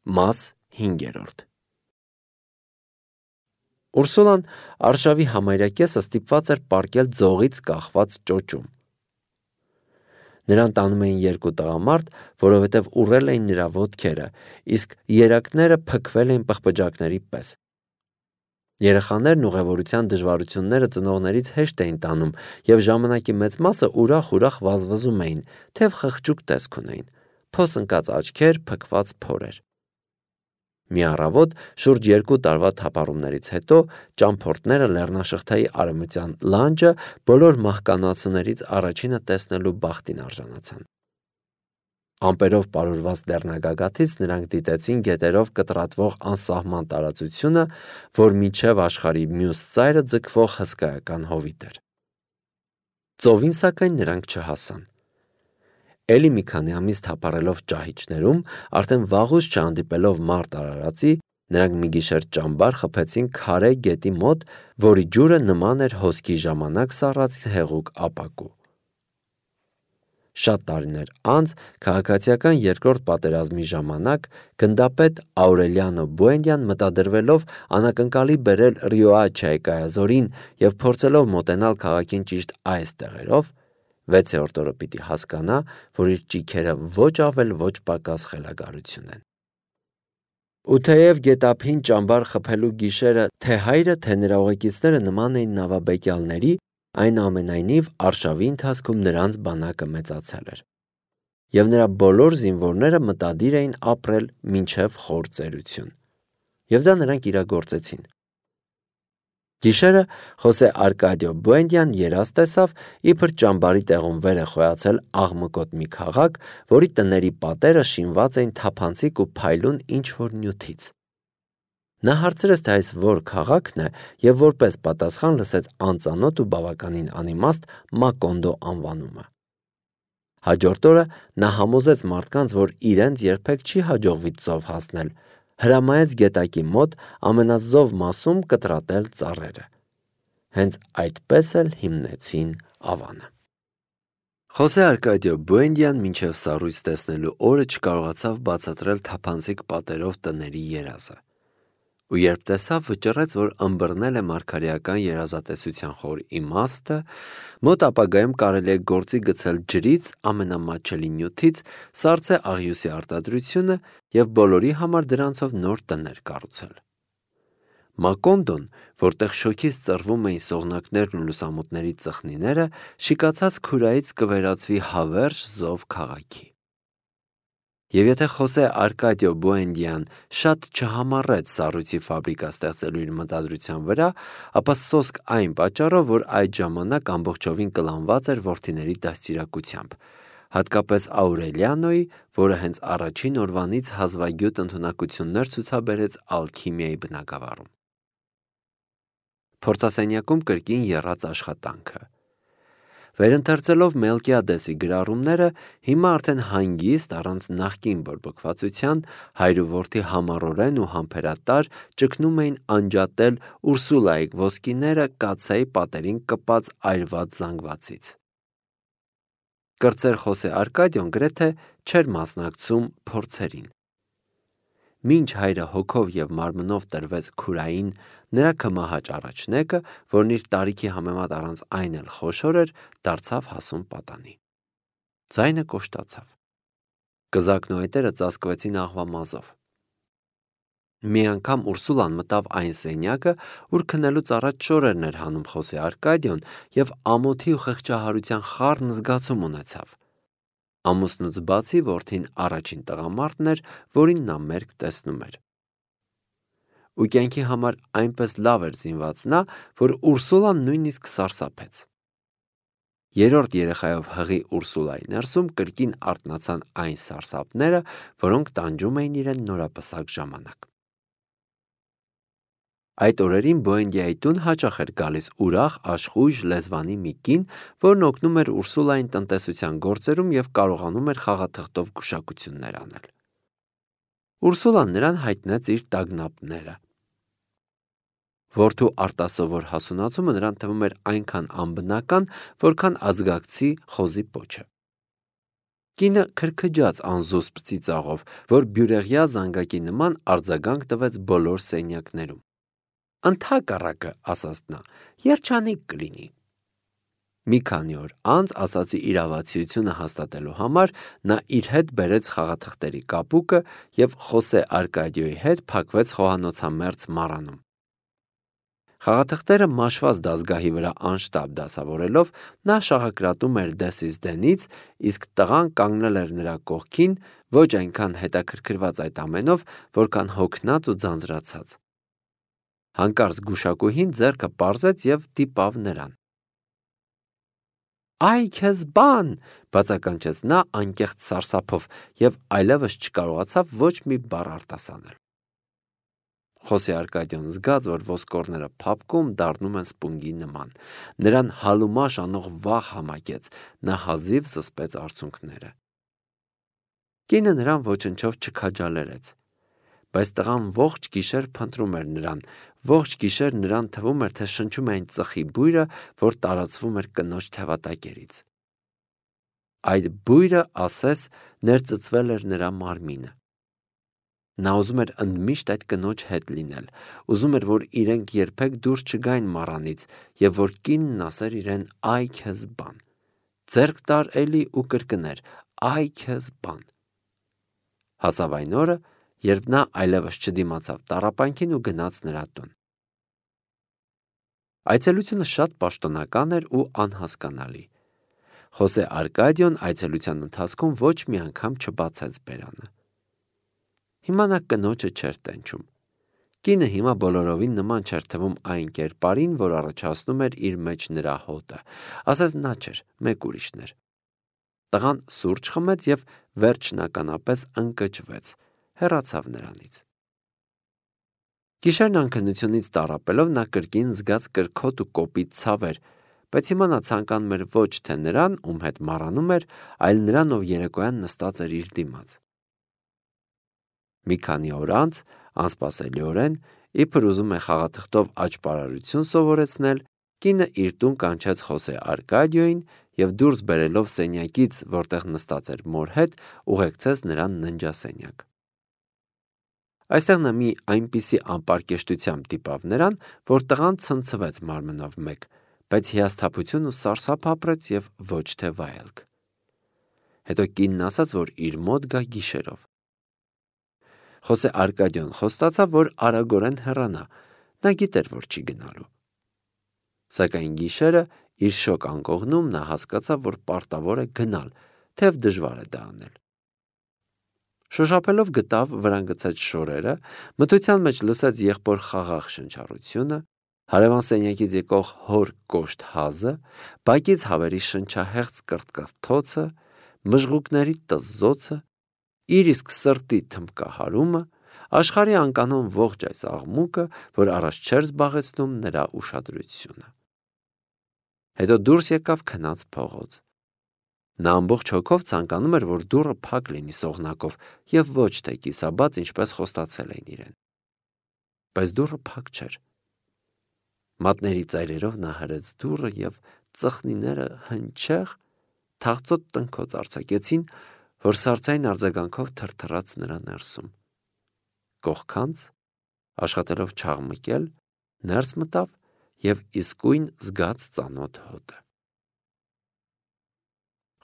Մաս 5. Ուրսուլան արշավի համարյա կեսը ստիպված էր պառկել ձողից կախված ճոճում։ Նրան տանում էին երկու տղամարդ, որովհետև ուռել էին նրա ոտքերը, իսկ երակները փքվել էին պղպջակների պես։ Երեխաներն ուղևորության դժվարությունները ծնողներից հեշտ էին տանում և ժամանակի մեծ մասը ուրախ վազվզում էին, թեև խղճուկ տեսք ունեին, փոս ընկած աչքեր, փքված փորեր։ Մի առավոտ, շուրջ 2 տարվա թափառումներից հետո, ճամփորդները լեռնաշղթայի արևմտյան լանջը բոլոր մահկանացուներից առաջինը տեսնելու բախտին արժանացան։ Ամպերով պարուրված լեռնագագաթից նրանք դիտեցին գետերով կտրատվող անսահման տարածությունը, որ մինչև աշխարհի մյուս ծայրը ձգվող հսկայական հովիտ էր։ Ծովին, սակայն, նրանք չհասան։ Էլի մի քանի ամիս թափառելով ճահիճներում, արդեն վաղուց չհանդիպելով մարդ արարածի, նրանք մի գիշեր ճամբար խփեցին քարե գետի մոտ, որի ջուրը նման էր հոսքի ժամանակ սառած հեղուկ ապակու։ Շատ տարիներ անց, քաղաքացիական երկրորդ պատերազմի ժամանակ, գնդապետ Աուրելիանո Բուենդիան մտադրվելով անակնկալի բերել Ռիոաչայի կայազորին և փորձելով մոտենալ քաղաքին ճիշտ այս տեղերով, 6-րդ օրը պիտի հասկանա, որ իր ճիգերը ոչ ավել ոչ պակաս խելագարություն են։ Ու թեև գետափին ճամբար խփելու գիշերը թե հայրը, թե նրա ուղեկիցները նման էին նավաբեկյալների, այնուամենայնիվ արշավի ընթացքում նրանց բանակը մեծացել էր, և նրա բոլոր զինվորները մտադիր էին ապրել մինչև խոր ծերություն, և դա նրանք իրագործեցին։ Գիշերը Խոսե Արկադիո Բուենդիան երազ տեսավ, իբր ճամբարի տեղում վեր է խոյացել աղմկոտ մի քաղաք, որի տների պատերը շինված էին թափանցիկ ու փայլուն ինչ-որ նյութից։ Նա հարցրեց, թե այս որ քաղաքն է, և որպես պատասխան լսեց անծանոթ ու բավականին անիմաստ Մակոնդո անվանումը։ Հաջորդ օրը նա համոզեց մարդկանց, որ իրենց երբեք չի հաջողվի ծով հասնել, հրամայեց գետակի մոտ ամենազով մասում կտրատել ծառերը։ Հենց այդպես էլ հիմնեցին ավանը։ Խոսե Արկադիո Բուենդիան մինչև սառույց տեսնելու օրը չկարողացավ բացատրել թափանցիկ պատերով տների երազը, ու երբ տեսավ, վճռեց, որ ըմբռնել է մարգարեական երազատեսության խոր իմաստը, մոտ ապագայում կարելի է գործի գցել ջրից, ամենամատչելի նյութից, սառցե աղյուսի արտադրությունը և բոլորի համար դրանցով նոր տներ կառուցել։ Մակոնդոն, որտեղ շոգից ծռվում էին սողնակներն ու լուսամուտների ծխնիները, շիկացած քուրայից կվերածվի հավերժ զով քաղաքի։ Եվ եթե Խոսե Արկադիո Բուենդիան շատ չհամառեց սառույցի ֆաբրիկա ստեղծելու իր մտադրության վրա, ապա սոսկ այն պատճառով, որ այդ ժամանակ ամբողջովին կլանված էր որդիների դաստիարակությամբ, հատկապես Աուրելիանոյի, որը հենց առաջին օրվանից հազվագյուտ ընդունակություններ ցուցաբերեց ալքիմիայի բնագավառում։ Փորձասենյակում կրկին եռաց աշխատանքը։ Վերընթերցելով Մելկիադեսի գրառումները, հիմա արդեն հանգիստ, առանց նախկին բորբոքվածության, հայր ու որդի համառորեն ու համբերատար ճգնում էին անջատել Ուրսուլայի ոսկիները կաթսայի պատերին կպած այրված զանգվածից։ Կրտսեր Խոսե Արկադիոն գրեթե չէր մասնակցում փորձերին։ Մինչ հայրը հոգով և մարմնով տրվեց քուրային, նրա քմահաճ առաջնեկը, որն իր տարիքի համեմատ առանց այն էլ խոշոր էր, դարձավ հասուն պատանի։ Ձայնը կոշտացավ։ Կզակն ու այտերը ծածկվեցին աղվամազով։ Մի անգամ Ուրսուլան մտավ այն սենյակը, ուր քնելուց առաջ շորերն էր հանում Խոսե Արկադիոն, և ամոթի ու խղճահարության խառն զգացում ունեցավ։ Ամուսնուց բացի որդին առաջին տղամարդն էր, որին նա մերկ տեսնում էր։ Ու կյանքի համար այնպես լավ էր զինված նա, որ Ուրսուլան նույնիսկ սարսափեց։ Երրորդ երեխայով հղի Ուրսուլայի ներսում կրկին արթնացան այն սարսափները, որոնք տանջում էին իրեն նորապսակ ժամանակ։ Այդ օրերին Բուենդիայի տուն հաճախ էր գալիս ուրախ, աշխույժ լեզվանի մի կին, որն օգնում էր Ուրսուլային տնտեսության գործերում և կարողանում էր խաղաթղթով գուշակություններ անել։ Ուրսուլան նրան հայտնեց իր տագնապները։ Որդու արտասովոր հասունացումը նրան թվում էր այնքան անբնական, որքան ազգակցի խոզի պոչը։ Կինը քրքջաց անզուսպ ծիծաղով, որ բյուրեղյա զանգակի նման արձագանք տվեց բոլոր սենյակներում։ «Ընդհակառակը», ասաց նա, «երջանիկ կլինի»։ Մի քանի օր անց ասացի իրավացիությունը հաստատելու համար նա իր հետ բերեց խաղաթղթերի կապուկը և Խոսե Արկադիոյի հետ փակվեց խոհանոցամերձ մառանում։ Խաղաթղթերը մաշված դասգահի վրա անշտապ դասավորելով նա շաղակրատում էր դեսից դենից, իսկ տղան կանգնել էր նրա կողքին, ոչ այնքան հետաքրքրված այդ ամենով, որքան հոգնած ու ձանձրացած։ Հանկարծ գուշակուհին ձեռքը պարզեց և դիպավ նրան։ «Այ քեզ բան», բացականչեց նա անկեղծ սարսափով և այլևս չկարողացավ ոչ մի բառ արտասանել։ Խոսե Արկադիոն զգաց, որ ոսկորները փափկում դառնում են սպունգի նման։ Նրան հալումաշ անող վախ համակեց, նա հազիվ զսպեց արցունքները։ Կինը նրան ոչնչով չքաջալերեց, բայց տղան ողջ գիշեր փնտրում էր նրան, ողջ գիշեր նրան թվում էր, թե շնչում է այն ծխի բույրը, որ տարածվում էր կնոջ թևատակերից։ Այդ բույրը, ասես, ներծծվել էր նրա մարմինը։ Նա ուզում էր ընդմիշտ այդ կնոջ հետ լինել, ուզում էր, որ իրենք երբեք դուրս չգային մառանից և որ կինն ասեր իրեն «այ քեզ բան», ձեռք տար էլի ու կրկներ «այ քեզ բան»։ Հասավ այն օրը, երբ նա այլևս չդիմացավ տառապանքին ու գնաց նրա տուն։ Այցելությունը շատ պաշտոնական էր ու անհասկանալի։ Խոսե Արկադիոն այցելության ընթացքում ոչ մի անգամ չբացեց բերանը։ Հիմա նա կնոջը չէր տենչում։ Կինը հիմա բոլորովին նման չէր թվում այն կերպարին, որ առաջացնում էր իր մեջ նրա հոտը, ասես նա չէր, մեկ ուրիշն էր։ Տղան սուրճ խմեց և վերջնականապես ընկճվեց, հեռացավ նրանից։ Գիշերն անքնությունից տառապելով նա կրկին զգաց կրքոտ ու կոպիտ ցավեր, բայց հիմա նա ցանկանում էր ոչ թե նրան, ում հետ մառանում էր, այլ նրան, ով երեկոյան նստած էր իր դիմաց։ Մի քանի օր անց, անսպասելիորեն, իբր ուզում է խաղաթղթով աճպարարություն սովորեցնել, կինը իր տուն կանչեց Խոսե Արկադիոյին և դուրս բերելով սենյակից, որտեղ նստած էր մոր հետ, ուղեկցեց նրան ննջասենյակ։ Այստեղ նա մի այնպիսի անպարկեշտությամբ դիպավ նրան, որ տղան ցնցվեց մարմնով մեկ, բայց հիասթափություն ու սարսափ ապրեց և ոչ թե վայելք։ Հետո կինն ասաց, որ իր մոտ գա գիշերով։ Խոսե Արկադիոն խոստացավ, որ արագորեն հեռանա, նա գիտեր, որ չի գնալու։ Սակայն գիշերը իր շոկ անկողնում նա հասկացավ, որ պարտավոր է գնալ, թեև դժվար է դա անել։ Շոշափելով գտավ վրան գցած շորերը, մթության մեջ լսեց եղբոր խաղաղ շնչառությունը, հարևան սենյակից եկող հոր կոշտ հազը, բակից հավերի շնչահեղձ կրտկրթոցը, մժղուկների տզզոցը, իր իսկ սրտի թմբկահարումը, աշխարհի անկանոն ողջ այս աղմուկը, որ առաջ չէր զբաղեցնում նրա ուշադրությունը։ Հետո դուրս եկավ քնած փողոց։ Նա ամբողջ հոգով ցանկանում էր, որ դուռը փակ լինի սողնակով և ոչ թե կիսաբաց, ինչպես խոստացել էին իրեն։ Բայց դուռը փակ չէր։ Մատների ծայրերով նա հրեց դուռը և ծխնիները հնչեղ, թախծոտ տնքոց արձակեցին, որ սառցային արձագանքով թրթռաց նրա ներսում։ Կողքանց, աշխատելով չաղմկել, ներս մտավ և իսկույն զգաց ծանոթ հոտը։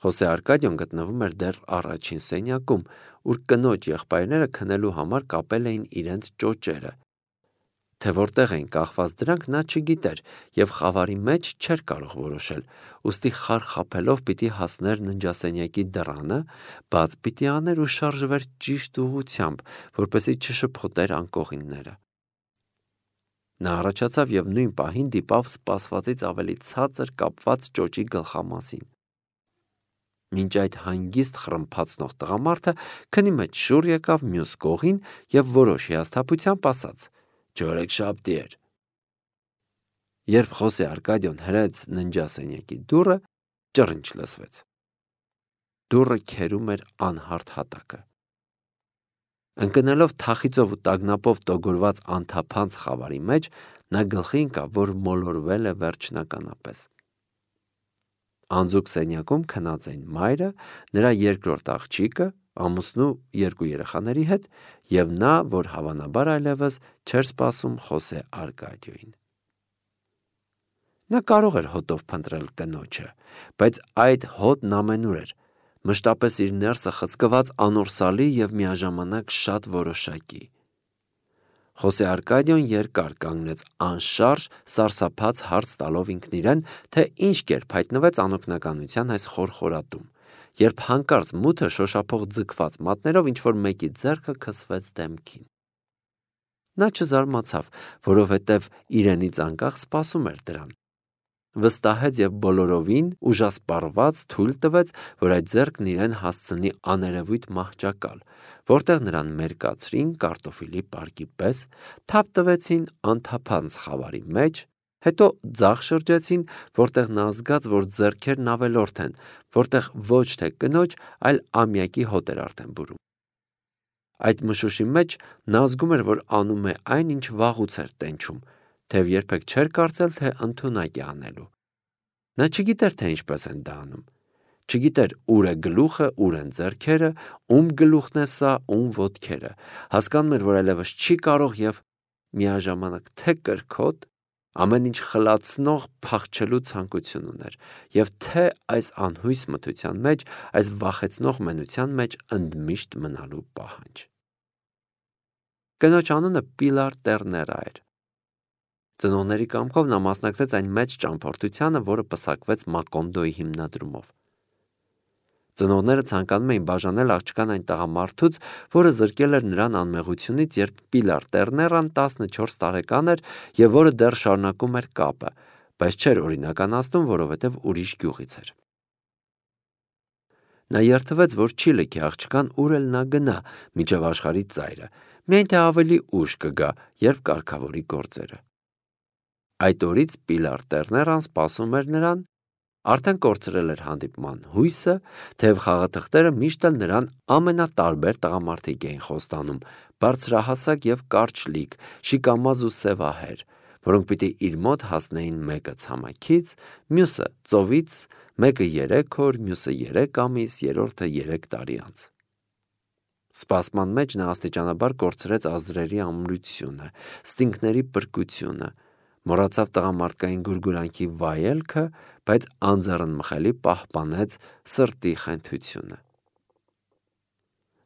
Խոսե Արկադիոն գտնվում էր դեռ առաջին սենյակում, ուր կնոջ եղբայրները քնելու համար կապել էին իրենց ճոճերը, թե որտեղ էին կախված դրանք նա չգիտեր և խավարի մեջ չէր կարող որոշել, ուստի խարխափելով պիտի հասներ ննջասենյակի դռանը, բաց պիտի աներ ու շարժվեր ճիշտ ուղղությամբ, որպեսզի չշփոթեր անկողինները։ Նա առաջացավ և նույն պահին դիպավ սպասվածից ավելի ցածր կապված ճոճի գլխամասին։ Մինչ այդ հանգիստ խռմփացնող տղամարդը քնի մեջ շուռ եկավ մյուս կողին և որոշ հիասթափությամբ ասաց. «Չորեքշաբթի էր»։ Երբ Խոսե Արկադիոն հրեց ննջասենյակի դուռը, ճռինչ լսվեց։ Դուռը քերում էր անհարթ հատակը։ Ընկնելով թախիծով ու տագնապով տոգորված անթափանց խավարի մեջ, նա գլխի ընկավ, որ մոլորվել է վերջնականապես։ Անձուկ սենյակում քնած էին մայրը, նրա երկրորդ աղջիկը, ամուսնու 2 երեխաների հետ եւ նա, որ հավանաբար այլևս չէր սպասում Խոսե Արկադիոին։ Նա կարող էր հոտով փնտրել կնոջը, բայց այդ հոտն ամենուր էր, մշտապես իր ներսը խցկված անորսալի եւ միաժամանակ շատ որոշակի։ Խոսե Արկադիոն երկար կանգնեց անշարժ, սարսափած հարց տալով ինքն իրեն, թե ինչ կերպ հայտնվեց անօգնականության այս խորխորատում, երբ հանկարծ մութը շոշափող ձգված մատներով ինչ-որ մեկի ձեռքը քսվեց դեմքին։ Նա չզարմացավ, որովհետև իրենից անկախ սպասում էր դրան։ Վստահեց եւ բոլորովին ուժասպառված թույլ տվեց, որ այդ ձեռքն իրեն հասցնի աներևույթ մահճակալ, որտեղ նրան մերկացրին կարտոֆիլի պարկի պես, թափ տվեցին անթափանց խավարի մեջ, հետո ձախ շրջեցին, որտեղ նա զգաց, որ ձեռքերն ավելորդ են, որտեղ ոչ թե կնոջ, այլ ամյակի հոտ էր արդեն բուրում։ Այդ մշուշի մեջ նա զգում էր, որ անում է այն, ինչ վաղուց էր տենչում, թեև երբեք չէր կարծել, թե ընդունակ է անելու։ Նա չգիտեր, թե ինչպես են դա անում։ Չգիտեր ուր է գլուխը, ուր են ձեռքերը, ում գլուխն է սա, ում ոտքերը։ Հասկանում էր, որ այլևս չի կարող եւ միաժամանակ թե կրքոտ, ամեն ինչ խլացնող փախչելու ցանկություն ուներ, եւ թե այս անհույս մթության մեջ, այս վախեցնող մենության մեջ ընդմիշտ մնալու պահանջ։ Կնոջ անունը Պիլար Տերներա էր։ Ծնողների կամքով նա մասնակցեց այն մեծ ճամփորդությանը, որը պսակվեց Մակոնդոյի հիմնադրումով։ Ծնողները ցանկանում էին բաժանել աղջկան այն տղամարդուց, որը զրկել էր նրան անմեղությունից, երբ Պիլար Տերներան 14 տարեկան էր եւ որը դեռ շարունակում էր կապը, բայց չէր օրինականացնում, որովհետեւ ուրիշ գյուղից էր։ Նա երթվեց, որ չի լքի աղջկան ուր էլ նա գնա, միջև աշխարհի ծայրը, միայն թե ավելի ուշ կգա, երբ կարգավորի գործերը։ Այդ օրից Պիլար Տերներան սպասում էր նրան, արդեն կորցրել էր հանդիպման հույսը, թեև խաղաթղթերը միշտ էլ նրան ամենատարբեր տղամարդիկ էին խոստանում, բարձրահասակ եւ կարճլիկ, շիկամազ ու սևահեր, որոնք պիտի իր մոտ հասնեին մեկը ցամաքից, մյուսը ծովից, մեկը 3 օր, մյուսը 3 ամիս, երրորդը 3 տարի անց։ Սպասման մեջ նա աստիճանաբար կորցրեց ազդրերի ամրությունը, ստինքների պրկությունը, մոռացավ տղամարդկային գուրգուրանքի վայելքը, բայց անձեռնմխելի պահպանեց սրտի խենթությունը։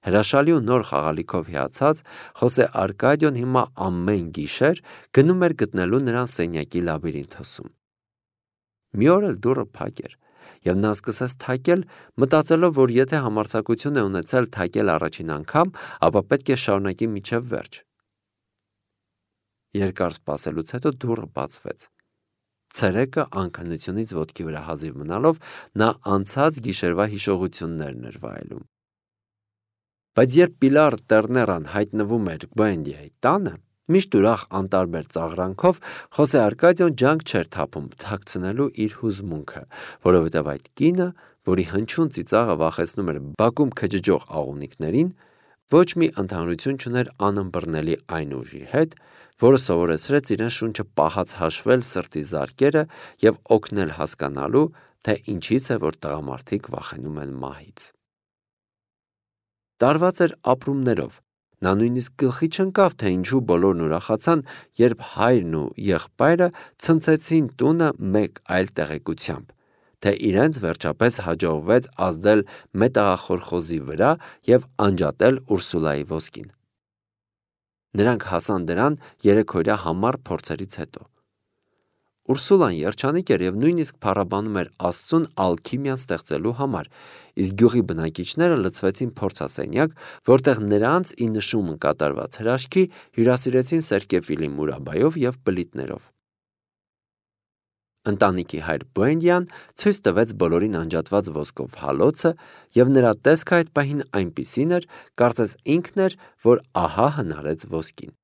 Հրաշալի ու նոր խաղալիքով հիացած, Խոսե Արկադիոն հիմա ամեն գիշեր գնում էր գտնելու նրան սենյակի լաբիրինթոսում։ Մի օր էլ դուռը փակ էր, եւ նա սկսեց թակել, մտածելով, որ եթե համարձակություն է ունեցել թակել առաջին անգամ, ապա պետք է շարունակի մինչև վերջ։ Երկար սպասելուց հետո դուռը բացվեց։ Ցերեկը անքնությունից ոտքի վրա հազիվ մնալով նա անցած գիշերվա հիշողություններն էր վայելում։ Բայց երբ Պիլար Տերներան հայտնվում էր Բուենդիայի տանը, միշտ ուրախ անտարբեր ծաղրանքով, Խոսե Արկադիոն ջանք չէր թափում թաքցնելու իր հուզմունքը, որովհետև այդ կինը, որի հնչյուն ծիծաղը վախեցնում էր բակում քջջող աղունիկներին, ոչ մի ընդհանրություն չուներ անըմբռնելի այն ուժի հետ, որը սովորեցրեց իրեն շունչը պահած հաշվել սրտի զարկերը եւ օգնել հասկանալու, թե ինչից է, որ տղամարդիկ վախենում են մահից։ Տարված էր ապրումներով։ Նա նույնիսկ գլխի չընկավ, թե ինչու բոլորն ուրախացան, երբ հայրն ու եղբայրը ցնցեցին տունը մեկ այլ տեղեկությամբ, թե իրենց վերջապես հաջողվեց ազդել մետաղախորխոզի վրա եւ անջատել Ուրսուլայի ոսկին։ Նրանք հասան դրան երեքօրյա համառ փորձերից հետո։ Ուրսուլան երջանիկ էր եւ նույնիսկ փառաբանում էր Աստծուն ալքիմիան ստեղծելու համար, իսկ գյուղի բնակիչները լցվեցին փորձասենյակ, որտեղ նրանց ի նշումն կատարված հրաշքի հյուրասիրեցին Սերկեֆիլի մուրաբայով եւ բլիթներով։ Ընտանիքի հայր Բուենդիան ցույց տվեց բոլորին անջատված ոսկով հալոցը, եւ նրա տեսքը այդ պահին այնպիսին էր, կարծես ինքն էր, որ ահա հնարեց ոսկին։